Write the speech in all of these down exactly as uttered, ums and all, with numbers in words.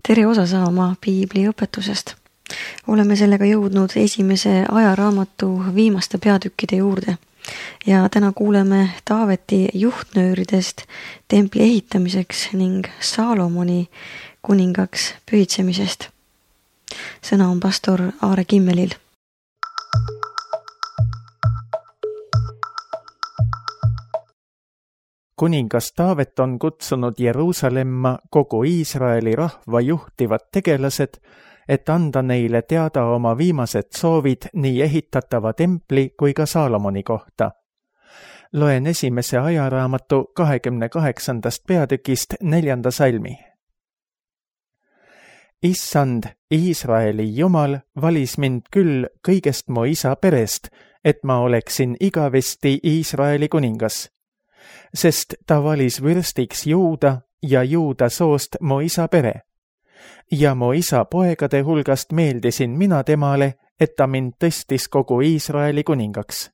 tere osa saama piibli õpetusest. Oleme sellega jõudnud esimese ajaraamatu viimaste peatükkide juurde ja täna kuuleme Taaveti juhtnööridest templi ehitamiseks ning Saalomoni kuningaks pühitsemisest. Sõna on pastor Aare Kimmelil. Kuningas Taavet on kutsunud Jeruusalemma kogu Iisraeli rahva juhtivad tegelased, et anda neile teada oma viimased soovid nii ehitatava templi kui ka Saalomoni kohta. Loen esimese ajaraamatu kahekümne kaheksandast peatükist neljanda salmi. Issand, Iisraeli Jumal, valis mind küll kõigest mu isa perest, et ma oleksin igavesti Iisraeli kuningas. Sest ta valis vürstiks Juuda ja Juuda soost mu isa pere. Ja mu isa poegade hulgast meeldisin mina temale, et ta mind tõstis kogu Iisraeli kuningaks.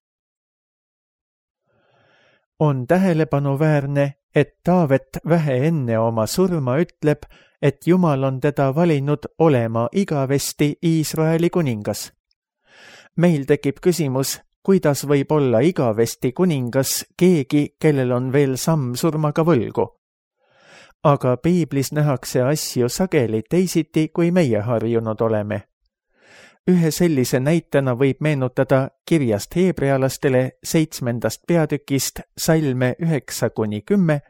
On tähelepanuväärne, et Taavet vähe enne oma surma ütleb, et Jumal on teda valinud olema igavesti Iisraeli kuningas. Meil tekib küsimus, kuidas võib olla igavesti kuningas keegi, kellel on veel samm surmaga võlgu. Aga piiblis nähakse asju sageli teisiti, kui meie harjunud oleme. Ühe sellise näitena võib meenutada kirjast heebrealastele seitsmendast peatükist salme üheksa kuni kümme,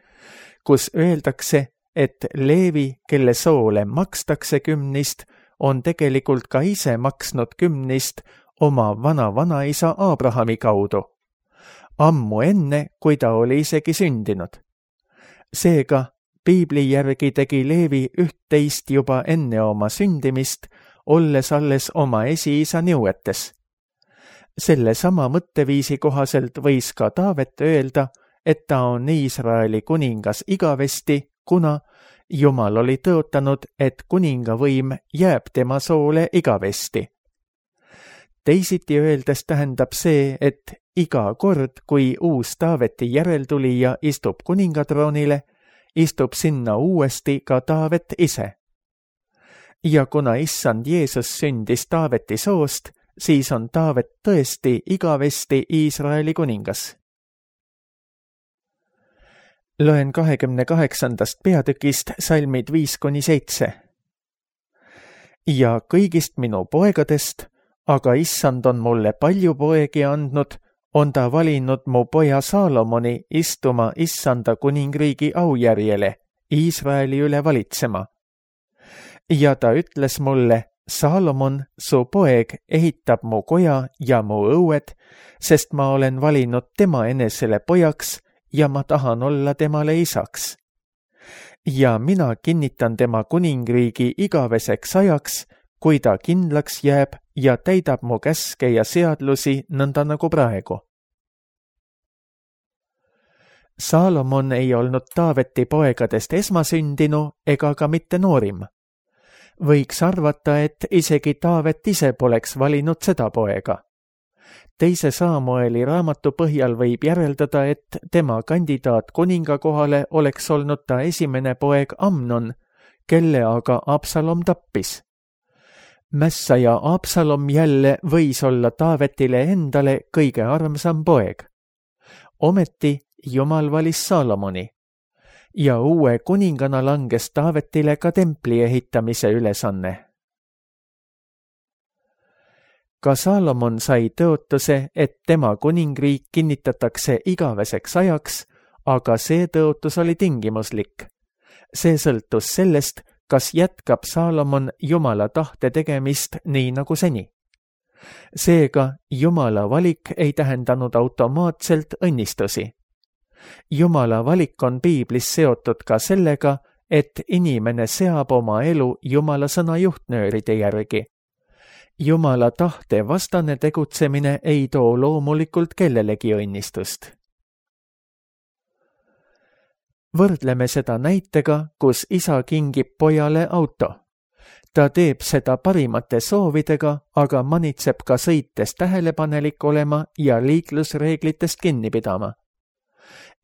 kus öeldakse, et Leevi, kelle soole makstakse kümnist, on tegelikult ka ise maksnud kümnist oma vana-vanaisa Abrahami kaudu, ammu enne, kui ta oli isegi sündinud. Seega, piibli järgi tegi Leevi üht-teist juba enne oma sündimist, olles alles oma esiisa nõuetes. Selle sama mõtteviisi kohaselt võis ka Taavet öelda, et ta on Iisraeli kuningas igavesti, kuna Jumal oli tõotanud, et kuningavõim jääb tema soole igavesti. Teisiti öeldes tähendab see, et iga kord, kui uus Taaveti järeltulija istub kuningatroonile, istub sinna uuesti ka Taavet ise. Ja kuna issand Jeesus sündis Taaveti soost, siis on Taavet tõesti igavesti Iisraeli kuningas. Loen kahekümne kaheksandast peatükist salmid viis kuni seitse. Ja kõigist minu poegadest, aga issand on mulle palju poegi andnud, on ta valinud mu poja Saalomoni istuma issanda kuningriigi aujärjele, Iisraeli üle valitsema. Ja ta ütles mulle, Saalomon, su poeg, ehitab mu koja ja mu õued, sest ma olen valinud tema enesele pojaks ja ma tahan olla temale isaks. Ja mina kinnitan tema kuningriigi igaveseks ajaks, kui ta kindlaks jääb ja täidab mu käske ja seadlusi nõnda nagu praegu. Saalomon ei olnud Taaveti poegadest esmasündinu ega ka mitte noorim. Võiks arvata, et isegi Taavet ise poleks valinud seda poega. Teise Saamueli raamatu põhjal võib järeldada, et tema kandidaat kuninga kohale oleks olnud ta esimene poeg Amnon, kelle aga Absalom tappis. Mässaja Absalom jälle võis olla Taavetile endale kõige armsam poeg. Ometi Jumal valis Saalomoni ja uue kuningana langes Taavetile ka templi ehitamise ülesanne. Ka Saalomon sai tõotuse, et tema kuningriik kinnitatakse igaveseks ajaks, aga see tõotus oli tingimuslik. See sõltus sellest, kas jätkab Saalomon Jumala tahte tegemist nii nagu seni. Seega Jumala valik ei tähendanud automaatselt õnnistusi. Jumala valik on piiblis seotud ka sellega, et inimene seab oma elu Jumala sõna juhtnööride järgi. Jumala tahte vastane tegutsemine ei too loomulikult kellelegi õnnistust. Võrdleme seda näitega, kus isa kingib pojale auto. Ta teeb seda parimate soovidega, aga manitseb ka sõites tähelepanelik olema ja liiklusreeglitest kinni pidama.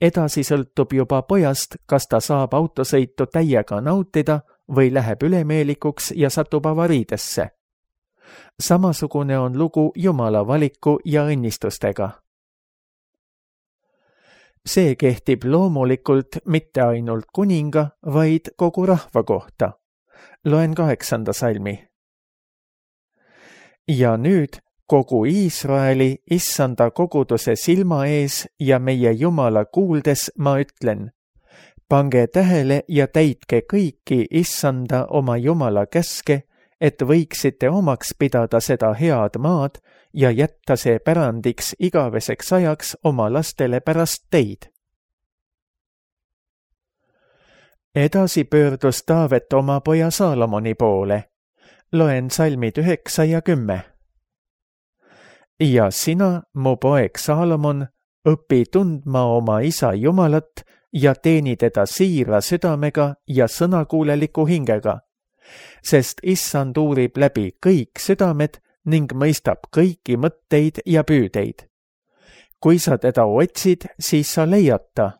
Edasi sõltub juba pojast, kas ta saab autosõitu täiega nautida või läheb ülemeelikuks ja satub avariidesse. Samasugune on lugu Jumala valiku ja õnnistustega. See kehtib loomulikult mitte ainult kuninga, vaid kogu rahva kohta. Loen kaheksanda salmi. Ja nüüd kogu Iisraeli issanda koguduse silma ees ja meie Jumala kuuldes ma ütlen, pange tähele ja täitke kõiki issanda oma Jumala käske, et võiksite omaks pidada seda head maad ja jätta see pärandiks igaveseks ajaks oma lastele pärast teid. Edasi pöördus Taavet oma poja Saalomoni poole. Loen salmid üheksa ja kümme. Ja sina, mu poeg Saalomon, õpi tundma oma isa Jumalat ja teeni teda siira südamega ja sõnakuuleliku hingega, sest issand uurib läbi kõik südamed ning mõistab kõiki mõtteid ja püüdeid. Kui sa teda otsid, siis sa leiad ta,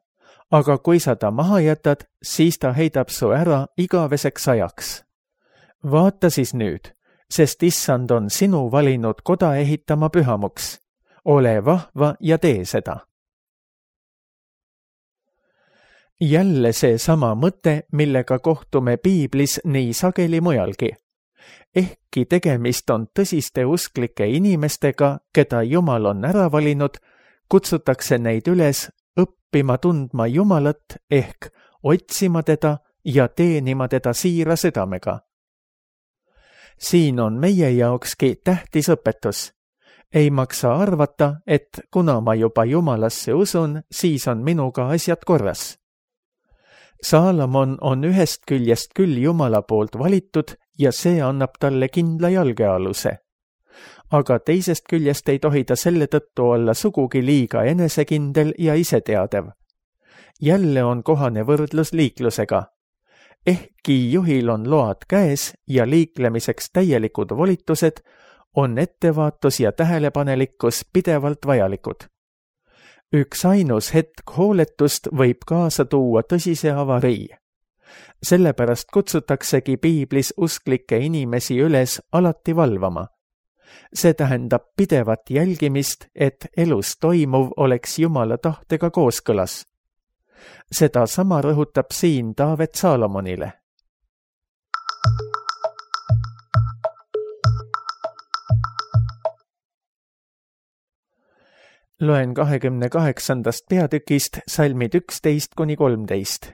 aga kui sa ta maha jätad, siis ta heidab su ära igaveseks ajaks. Vaata siis nüüd, sest issand on sinu valinud koda ehitama pühamuks. Ole vahva ja tee seda. Jälle see sama mõte, millega kohtume piiblis nii sageli mujalgi. Ehkki tegemist on tõsiste usklike inimestega, keda Jumal on ära valinud, kutsutakse neid üles õppima tundma Jumalat ehk otsima teda ja teenima teda siira südamega. Siin on meie jaokski tähtis õpetus. Ei maksa arvata, et kuna ma juba Jumalasse usun, siis on minuga asjad korras. Saalomon on ühest küljest küll Jumala poolt valitud ja see annab talle kindla jalgealuse. Aga teisest küljest ei tohi ta selle tõttu olla sugugi liiga enesekindel ja iseteadev. Jälle on kohane võrdlus liiklusega. Ehkki juhil on load käes ja liiklemiseks täielikud volitused, on ettevaatus ja tähelepanelikkus pidevalt vajalikud. Üks ainus hetk hooletust võib kaasa tuua tõsise avarii. Sellepärast kutsutaksegi piiblis usklikke inimesi üles alati valvama. See tähendab pidevat jälgimist, et elus toimuv oleks Jumala tahtega kooskõlas. Seda sama rõhutab siin Taavet Saalomonile. Loen kahekümne kaheksandast peatükist salmid üksteist kuni kolmteist.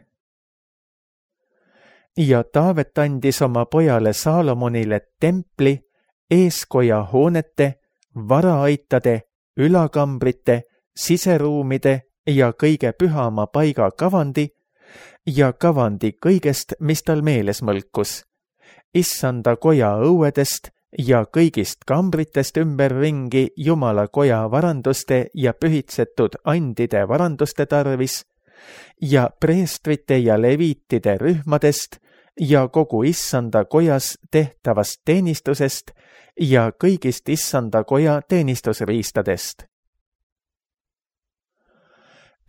Ja Taavet andis oma pojale Saalomonile templi, eeskoja hoonete, varaaitade, ülakambrite, siseruumide ja kõige pühama paiga kavandi ja kavandi kõigest, mis tal meeles mõlkus, issanda koja õuedest ja kõigist kambritest ümberringi Jumala koja varanduste ja pühitsetud andide varanduste tarvis ja preestrite ja leviitide rühmadest ja kogu issanda kojas tehtavast teenistusest ja kõigist issanda koja teenistusriistadest.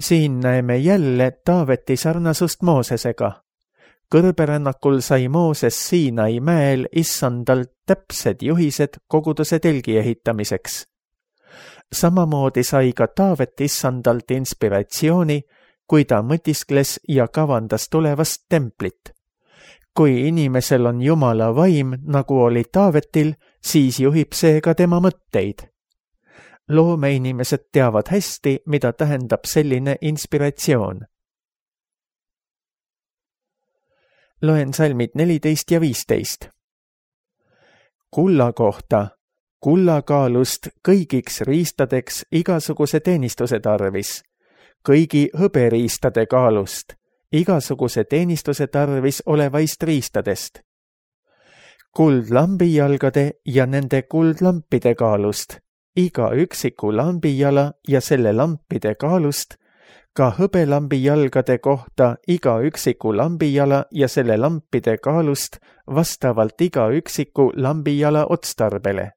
Siin näeme jälle Taaveti sarnasust Moosesega. Kõrberännakul sai Mooses Siinai mäel issandalt täpsed juhised koguduse telgi ehitamiseks. Samamoodi sai ka Taavet issandalt inspiratsiooni, kui ta mõtiskles ja kavandas tulevast templit. Kui inimesel on Jumala vaim, nagu oli Taavetil, siis juhib see ka tema mõtteid. Loomeinimesed teavad hästi, mida tähendab selline inspiratsioon. Loen salmid neliteist ja viisteist. Kulla kohta, kullakaalust kõigiks riistadeks igasuguse teenistuse tarvis, kõigi hõberiistade kaalust, igasuguse teenistuse tarvis olevaist riistadest, kuldlambijalgade ja nende kuldlampide kaalust, iga üksiku lambijala ja selle lampide kaalust, ka hõbelambijalgade kohta iga üksiku lambijala ja selle lampide kaalust vastavalt iga üksiku lambijala otstarbele.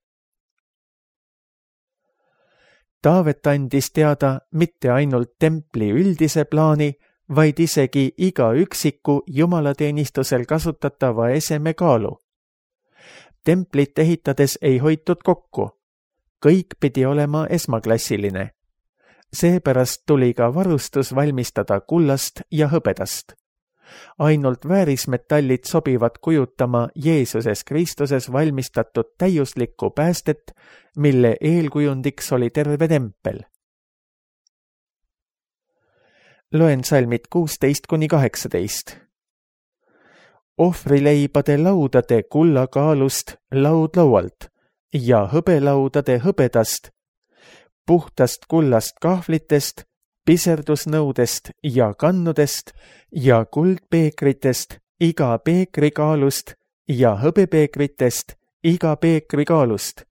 Taavet andis teada mitte ainult templi üldise plaani, vaid isegi iga üksiku jumalateenistusel kasutatava eseme kaalu. Templit ehitades ei hoitud kokku. Kõik pidi olema esmaklassiline. Seepärast tuli ka varustus valmistada kullast ja hõbedast. Ainult väärismetallid sobivad kujutama Jeesuses Kristuses valmistatud täiuslikku päästet, mille eelkujundiks oli terve tempel. Loen salmid kuusteist kuni kaheksateist. Ohvrileibade laudade kullakaalust laudlaualt ja hõbelaudade hõbedast, puhtast kullast kahvlitest, piserdusnõudest ja kannudest ja kuldpeekritest iga peekrikaalust ja hõbepeekritest iga peekrikaalust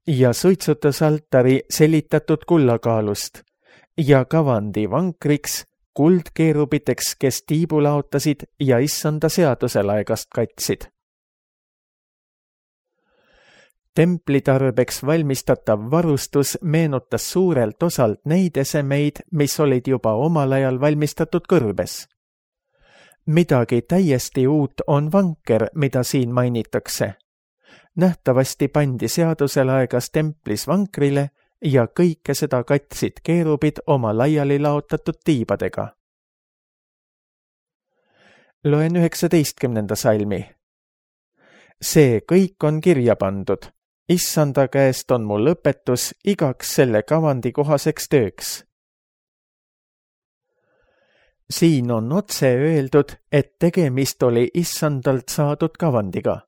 ja suitsutusaltari selitatud kullakaalust ja kavandi vankriks kuldkeerubiteks, kes tiibu laotasid ja issanda seaduse laegast katsid. Templi tarbeks valmistatav varustus meenutas suurelt osalt neid esemeid, mis olid juba omal ajal valmistatud kõrbes. Midagi täiesti uut on vanker, mida siin mainitakse. Nähtavasti pandi seadusel aegas templis vankrile ja kõike seda katsid keerubid oma laiali laotatud tiibadega. Loen üheksateistkümnenda salmi. See kõik on kirja pandud. Issanda käest on mul õpetus igaks selle kavandi kohaseks tööks. Siin on otse öeldud, et tegemist oli issandalt saadud kavandiga.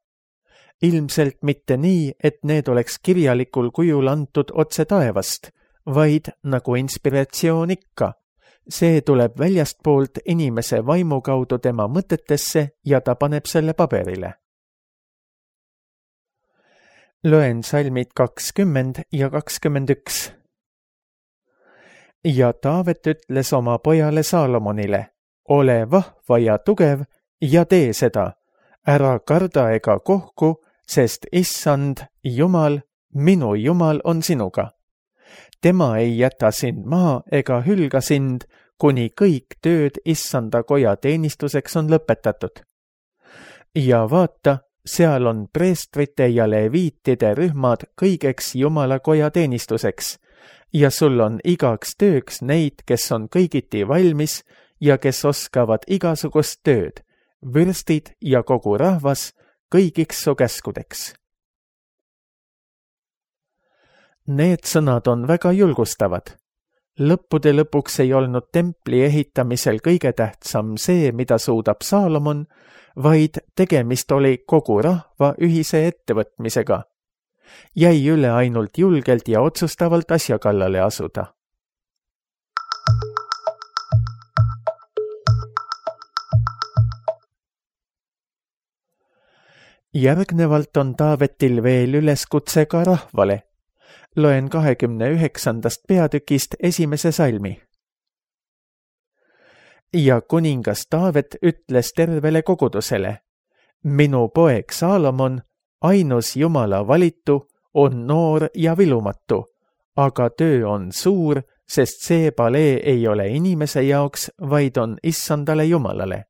Ilmselt mitte nii, et need oleks kirjalikul kujul antud otse taevast, vaid nagu inspiratsioon ikka. See tuleb väljastpoolt inimese vaimu kaudu tema mõtetesse ja ta paneb selle paberile. Loen salmid kakskümmend ja kakskümmend üks. Ja Taavet ütles oma pojale Saalomonile, ole vahva ja tugev ja tee seda, ära karda ega kohku, sest issand, Jumal, minu Jumal on sinuga. Tema ei jäta sind maha ega hülga sind, kuni kõik tööd issanda koja teenistuseks on lõpetatud. Ja vaata, seal on preestrite ja leviitide rühmad kõigeks Jumala koja teenistuseks ja sul on igaks tööks neid, kes on kõigiti valmis ja kes oskavad igasugust tööd, vürstid ja kogu rahvas kõigiks su käskudeks. Need sõnad on väga julgustavad. Lõppude lõpuks ei olnud templi ehitamisel kõige tähtsam see, mida suudab Saalomon, vaid tegemist oli kogu rahva ühise ettevõtmisega. Jäi üle ainult julgelt ja otsustavalt asja kallale asuda. Järgnevalt on Taavetil veel üleskutse ka rahvale. Loen kahekümne üheksandast peatükist esimese salmi. Ja kuningas Taavet ütles tervele kogudusele, minu poeg Saalomon, ainus Jumala valitu, on noor ja vilumatu, aga töö on suur, sest see palee ei ole inimese jaoks, vaid on issandale Jumalale.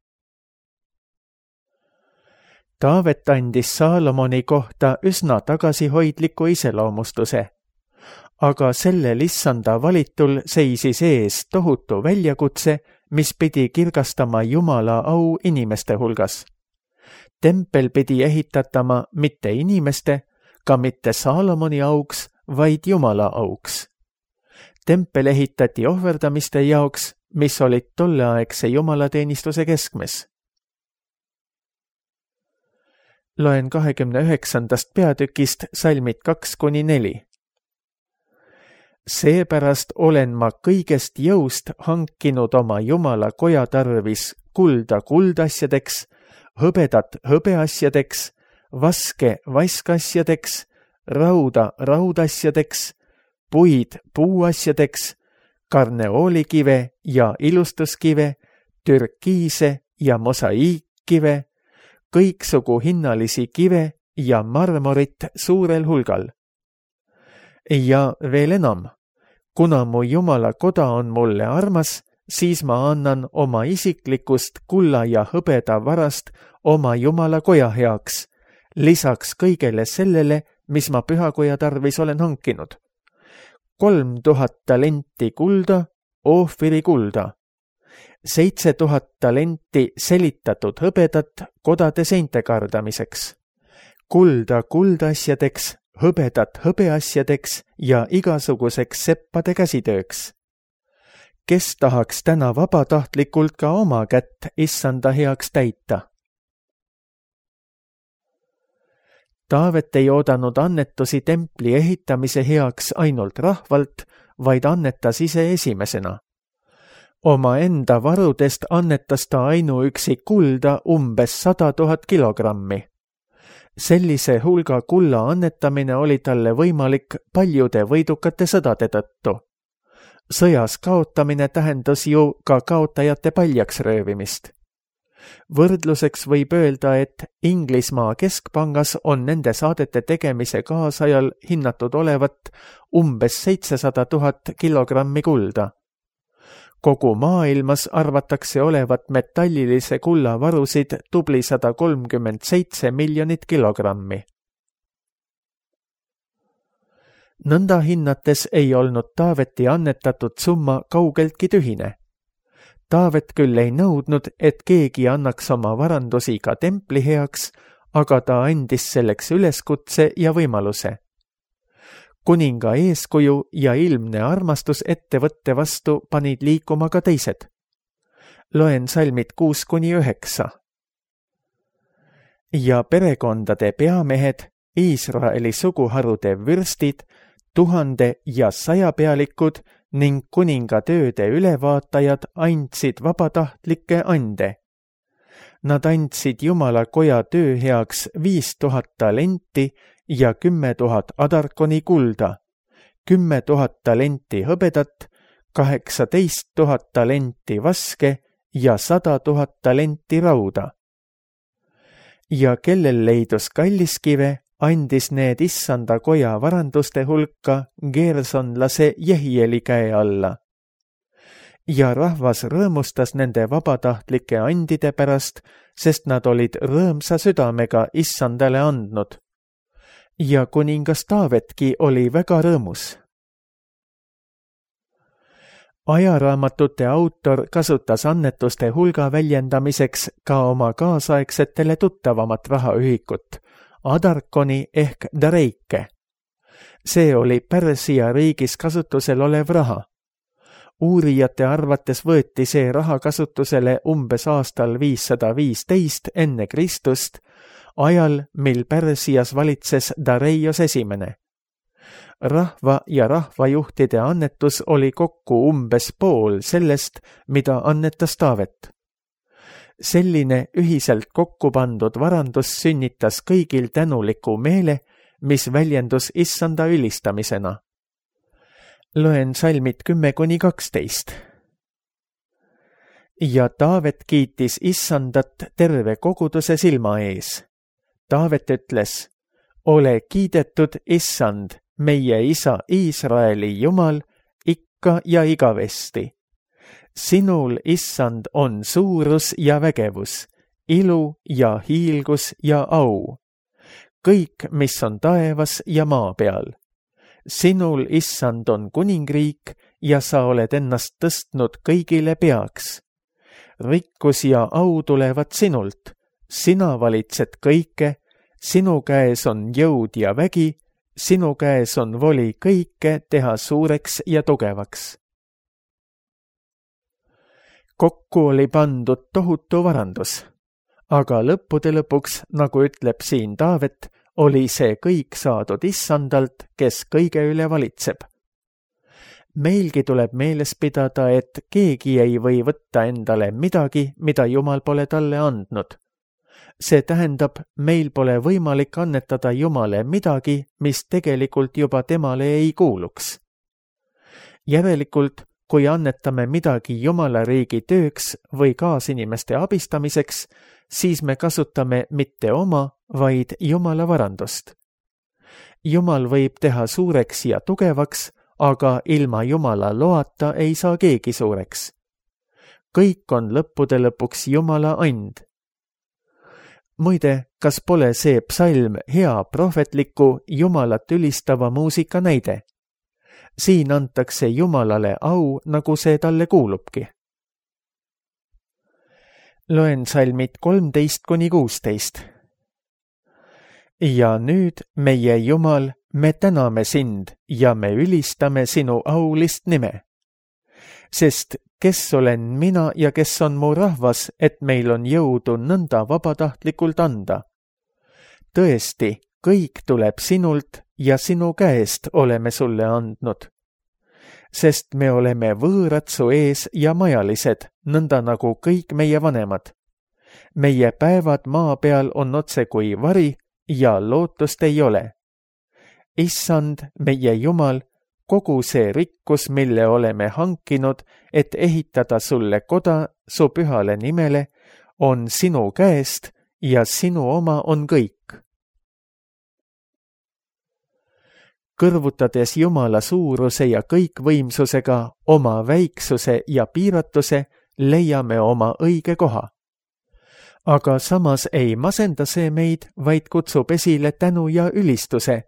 Taavet andis Saalomoni kohta üsna tagasihoidliku iseloomustuse, aga sellel issanda valitul seisis ees tohutu väljakutse, mis pidi kirgastama Jumala au inimeste hulgas. Tempel pidi ehitatama mitte inimeste, ka mitte Saalomoni auks, vaid Jumala auks. Tempel ehitati ohverdamiste jaoks, mis olid tolleaegse jumalateenistuse keskmes. Loen kahekümne üheksandast peatükist salmid kaks kuni neli. Seepärast olen ma kõigest jõust hankinud oma Jumala koja tarvis kulda kuldasjadeks, hõbedat hõbeasjadeks, vaske vaskasjadeks, rauda raudasjadeks, puid puuasjadeks, karneoolikive ja ilustuskive, türkiise ja mosaiikkive, kõiksugu hinnalisi kive ja marmorit suurel hulgal. Ja veel enam, kuna mu Jumala koda on mulle armas, siis ma annan oma isiklikust kulla ja hõbeda varast oma Jumala koja heaks, lisaks kõigele sellele, mis ma pühakoja tarvis olen hankinud. kolm tuhat talenti kulda, Oofiri kulda, seitse tuhat talenti selitatud hõbedat kodade seinte kardamiseks, kulda kuldasjadeks, hõbedat hõbeasjadeks ja igasuguseks seppade käsitööks. Kes tahaks täna vabatahtlikult ka oma kätt issanda heaks täita? Taavet ei oodanud annetusi templi ehitamise heaks ainult rahvalt, vaid annetas ise esimesena. Oma enda varudest annetas ta ainuüksi kulda umbes sada tuhat kilogrammi. Sellise hulga kulla annetamine oli talle võimalik paljude võidukate sõdade tõttu. Sõjas kaotamine tähendas ju ka kaotajate paljaks röövimist. Võrdluseks võib öelda, et Inglismaa keskpangas on nende saadete tegemise kaasajal hinnatud olevat umbes seitsesada tuhat kilogrammi kulda. Kogu maailmas arvatakse olevat metallilise kulla varusid tubli sada kolmkümmend seitse miljonit kilogrammi. Nõnda hinnates ei olnud Taaveti annetatud summa kaugeltki tühine. Taavet küll ei nõudnud, et keegi annaks oma varandusi ka templi heaks, aga ta andis selleks üleskutse ja võimaluse. Kuninga eeskuju ja ilmne armastus ettevõtte vastu panid liikuma ka teised. Loen salmid kuus kuni üheksa. Ja perekondade peamehed, Iisraeli suguharude vürstid, tuhande ja sajapealikud ning kuninga tööde ülevaatajad andsid vabatahtlikke ande. Nad andsid Jumala koja töö heaks viis tuhat talenti ja kümme tuhat adarkoni kulda, kümme tuhat talenti hõbedat, kaheksateist tuhat talenti vaske ja sada tuhat talenti rauda. Ja kellel leidus kalliskive, andis need issanda koja varanduste hulka geersonlase Jehieli käe alla. Ja rahvas rõõmustas nende vabatahtlike andide pärast, sest nad olid rõõmsa südamega issandale andnud. Ja kuningas Taavetki oli väga rõõmus. Ajaraamatute autor kasutas annetuste hulga väljendamiseks ka oma kaasaegsetele tuttavamat rahaühikut, adarkoni ehk dareike. See oli Pärsia riigis kasutusel olev raha. Uurijate arvates võeti see raha kasutusele umbes aastal viissada viisteist enne Kristust, ajal, mil Pärsias valitses Dareios esimene. Rahva ja rahvajuhtide annetus oli kokku umbes pool sellest, mida annetas Taavet. Selline ühiselt kokku pandud varandus sünnitas kõigil tänuliku meele, mis väljendus issanda ülistamisena. Loen salmid kümme kuni kaksteist. Ja Taavet kiitis issandat terve koguduse silma ees. Taavet ütles, ole kiidetud issand, meie isa Iisraeli Jumal, ikka ja igavesti. Sinul, issand, on suurus ja vägevus, ilu ja hiilgus ja au. Kõik, mis on taevas ja maa peal. Sinul, issand, on kuningriik ja sa oled ennast tõstnud kõigile peaks. Rikkus ja au tulevad sinult, sina valitsed kõike, sinu käes on jõud ja vägi, sinu käes on voli kõike teha suureks ja tugevaks. Kokku oli pandud tohutu varandus, aga lõppude lõpuks, nagu ütleb siin Taavet, oli see kõik saadud issandalt, kes kõige üle valitseb. Meilgi tuleb meeles pidada, et keegi ei või võtta endale midagi, mida Jumal pole talle andnud. See tähendab, meil pole võimalik annetada Jumale midagi, mis tegelikult juba temale ei kuuluks. Järelikult, kui annetame midagi Jumala riigi tööks või kaasinimeste abistamiseks, siis me kasutame mitte oma, vaid Jumala varandust. Jumal võib teha suureks ja tugevaks, aga ilma Jumala loata ei saa keegi suureks. kõik on lõppude lõpuks Jumala and. Muide, kas pole see psalm hea prohvetliku Jumalat ülistava muusika näide? Siin antakse Jumalale au, nagu see talle kuulubki. Loen salmid kolmteist kuni kuusteist. Ja nüüd, meie Jumal, me täname sind ja me ülistame sinu aulist nime. Sest kes olen mina ja kes on mu rahvas, et meil on jõudu nõnda vabatahtlikult anda? Tõesti, kõik tuleb sinult ja sinu käest oleme sulle andnud. Sest me oleme võõrad su ees ja majalised, nõnda nagu kõik meie vanemad. Meie päevad maa peal on otse kui vari ja lootust ei ole. Issand, meie Jumal, kogu see rikkus, mille oleme hankinud, et ehitada sulle koda su pühale nimele, on sinu käest ja sinu oma on kõik. Kõrvutades Jumala suuruse ja kõikvõimsusega oma väiksuse ja piiratuse, leiame oma õige koha. Aga samas ei masenda see meid, vaid kutsub esile tänu ja ülistuse,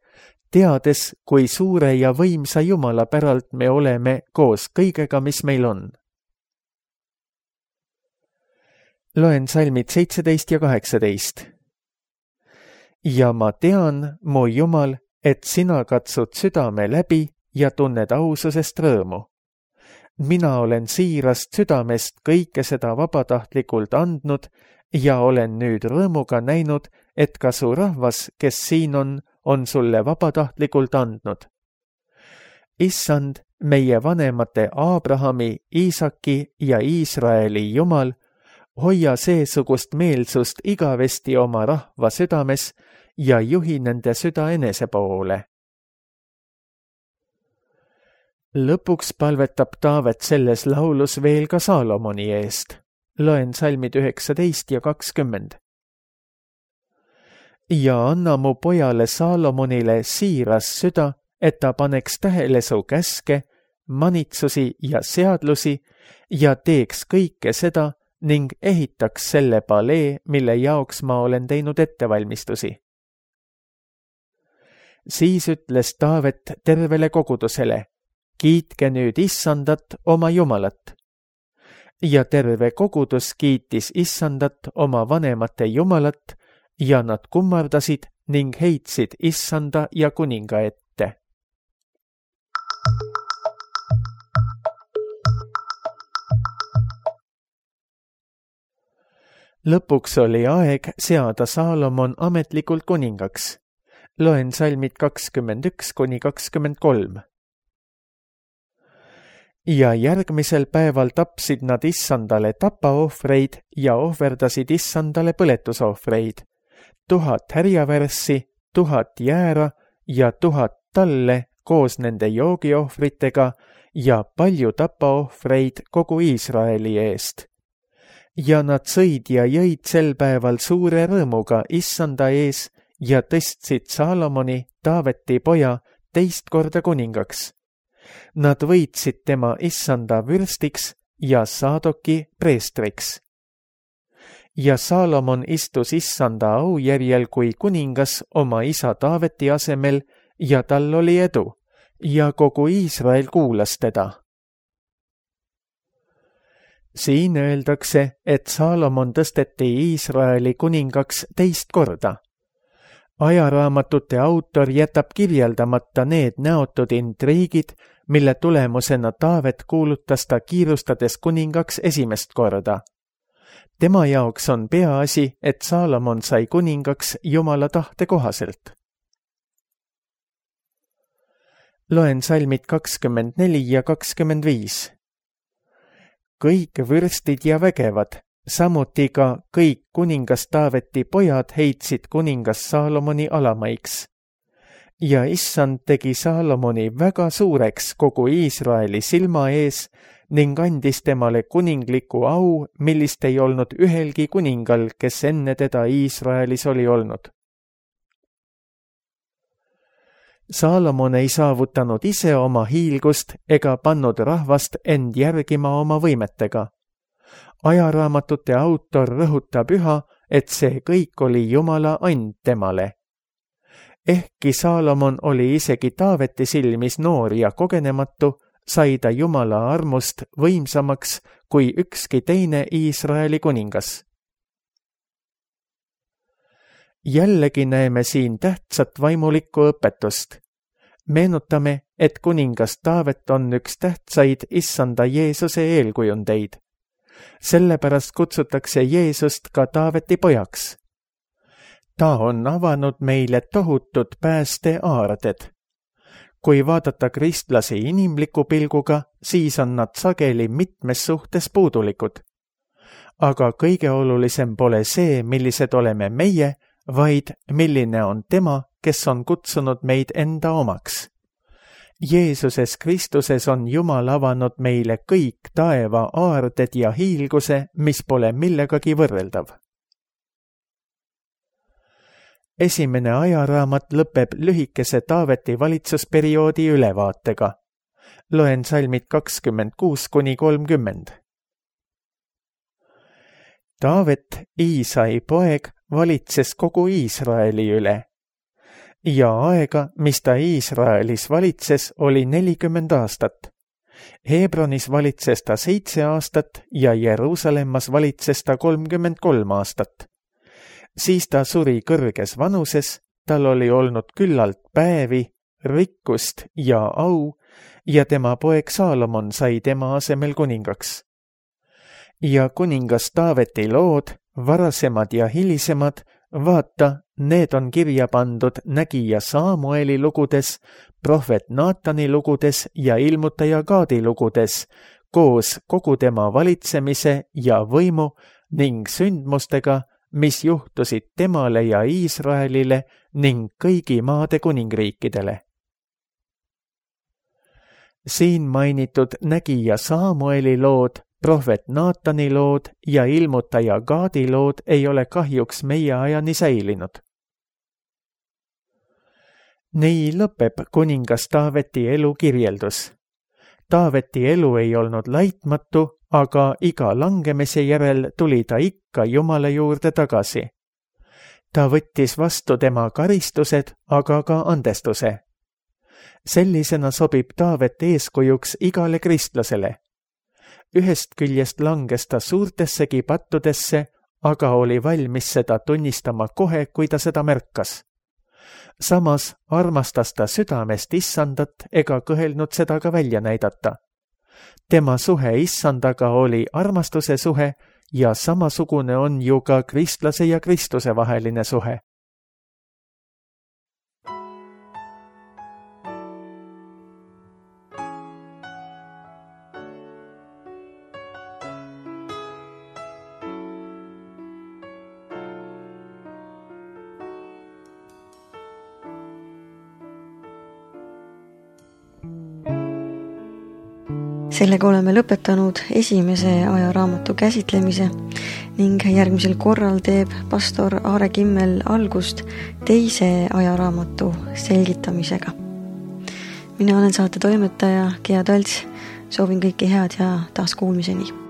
teades, kui suure ja võimsa Jumala päralt me oleme koos kõigega, mis meil on. Loen salmid seitseteist ja kaheksateist. Ja ma tean, mu Jumal, et sina katsud südame läbi ja tunned aususest rõõmu. Mina olen siirast südamest kõike seda vabatahtlikult andnud ja olen nüüd rõõmuga näinud, et ka su rahvas, kes siin on, on sulle vabatahtlikult andnud. Issand, meie vanemate Abrahami, Iisaki ja Iisraeli Jumal, hoia seesugust meelsust igavesti oma rahva südames ja juhi nende süda enese poole. Lõpuks palvetab Taavet selles laulus veel ka Saalomoni eest. Loen salmid üheksateist ja kakskümmend. Ja anna mu pojale Saalomonile siiras süda, et ta paneks tähele su käske, manitsusi ja seadlusi ja teeks kõike seda ning ehitaks selle palee, mille jaoks ma olen teinud ettevalmistusi. Siis ütles Taavet tervele kogudusele, kiitke nüüd Issandat oma Jumalat. Ja terve kogudus kiitis Issandat oma vanemate Jumalat ja nad kummardasid ning heitsid Issanda ja kuninga ette. Lõpuks oli aeg seada Saalomon ametlikult kuningaks. Loen salmid kakskümmend üks kuni kakskümmend kolm. Ja järgmisel päeval tapsid nad Issandale tapaohvreid ja ohverdasid Issandale põletusohvreid, tuhat härjavärssi, tuhat jäära ja tuhat talle koos nende joogiohvritega ja palju tapaohvreid kogu Iisraeli eest. Ja nad sõid ja jõid sel päeval suure rõõmuga Issanda ees ja tõstsid Saalomoni, Taaveti poja, teist korda kuningaks. Nad võitsid tema Issanda vürstiks ja Saadoki preestriks. Ja Saalomon istus Issanda aujärjel kui kuningas oma isa Taaveti asemel ja tal oli edu ja kogu Iisrael kuulas teda. Siin öeldakse, et Saalomon tõsteti Iisraeli kuningaks teist korda. Ajaraamatute autor jätab kirjeldamata need näotud intriigid, mille tulemusena Taavet kuulutas ta kiirustades kuningaks esimest korda. Tema jaoks on peaasi, et Saalomon sai kuningaks Jumala tahte kohaselt. Loen salmid kakskümmend neli ja kakskümmend viis. Kõik vürstid ja vägevad, samuti ka kõik kuningas Taaveti pojad heitsid kuningas Saalomoni alamaiks. Ja Issand tegi Saalomoni väga suureks kogu Iisraeli silma ees ning andis temale kuningliku au, millist ei olnud ühelgi kuningal, kes enne teda Iisraelis oli olnud. Saalomon ei saavutanud ise oma hiilgust ega pannud rahvast end järgima oma võimetega. ajaraamatute autor rõhutab üha, et see kõik oli Jumala and temale. Ehkki Saalomon oli isegi Taaveti silmis noor ja kogenematu, sai ta Jumala armust võimsamaks kui ükski teine Iisraeli kuningas. Jällegi näeme siin tähtsat vaimulikku õpetust. Meenutame, et kuningas Taavet on üks tähtsaid issanda Jeesuse eelkujundeid. Sellepärast kutsutakse Jeesust ka Taaveti pojaks. Ta on avanud meile tohutud päästeaarded. Kui vaadata kristlasi inimliku pilguga, siis on nad sageli mitmes suhtes puudulikud. Aga kõige olulisem pole see, millised oleme meie, vaid milline on tema, kes on kutsunud meid enda omaks. Jeesuses Kristuses on Jumal avanud meile kõik taeva aarded ja hiilguse, mis pole millegagi võrreldav. Esimene ajaraamat lõpeb lühikese Taaveti valitsusperioodi ülevaatega. Loen salmid kakskümmend kuus kuni kolmkümmend. Taavet, Iisai poeg, valitses kogu Iisraeli üle. Ja aega, mis ta Iisraelis valitses, oli nelikümmend aastat. Hebronis valitses ta seitse aastat ja Jeruusalemmas valitses ta kolmkümmend kolm aastat. Siis ta suri kõrges vanuses, tal oli olnud küllalt päevi, rikkust ja au ja tema poeg Saalomon sai tema asemel kuningaks. Ja kuningas Taaveti lood, varasemad ja hilisemad, vaata, need on kirja pandud nägija Saamueli lugudes, prohvet Naatani lugudes ja ilmutaja Gaadi lugudes, koos kogu tema valitsemise ja võimu ning sündmustega, mis juhtusid temale ja Iisraelile ning kõigi maade kuningriikidele. Siin mainitud nägija Saamueli lood, prohvet Naatani lood ja ilmutaja Gaadi lood ei ole kahjuks meie ajani säilinud. Nii lõpeb kuningas Taaveti elu kirjeldus. Taaveti elu ei olnud laitmatu, aga iga langemise järel tuli ta ikka Jumala juurde tagasi. Ta võttis vastu tema karistused, aga ka andestuse. Sellisena sobib Taavet eeskujuks igale kristlasele. Ühest küljest langes ta suurtessegi pattudesse, aga oli valmis seda tunnistama kohe, kui ta seda märkas. Samas armastas ta südamest issandat ega kõhelnud seda ka välja näidata. Tema suhe issandaga oli armastuse suhe ja samasugune on ju ka kristlase ja Kristuse vaheline suhe. Sellega oleme lõpetanud esimese ajaraamatu käsitlemise ning järgmisel korral teeb pastor Aare Kimmel algust teise ajaraamatu selgitamisega. Mina olen saate toimetaja Gea Talts, soovin kõike head ja taas kuulmiseni.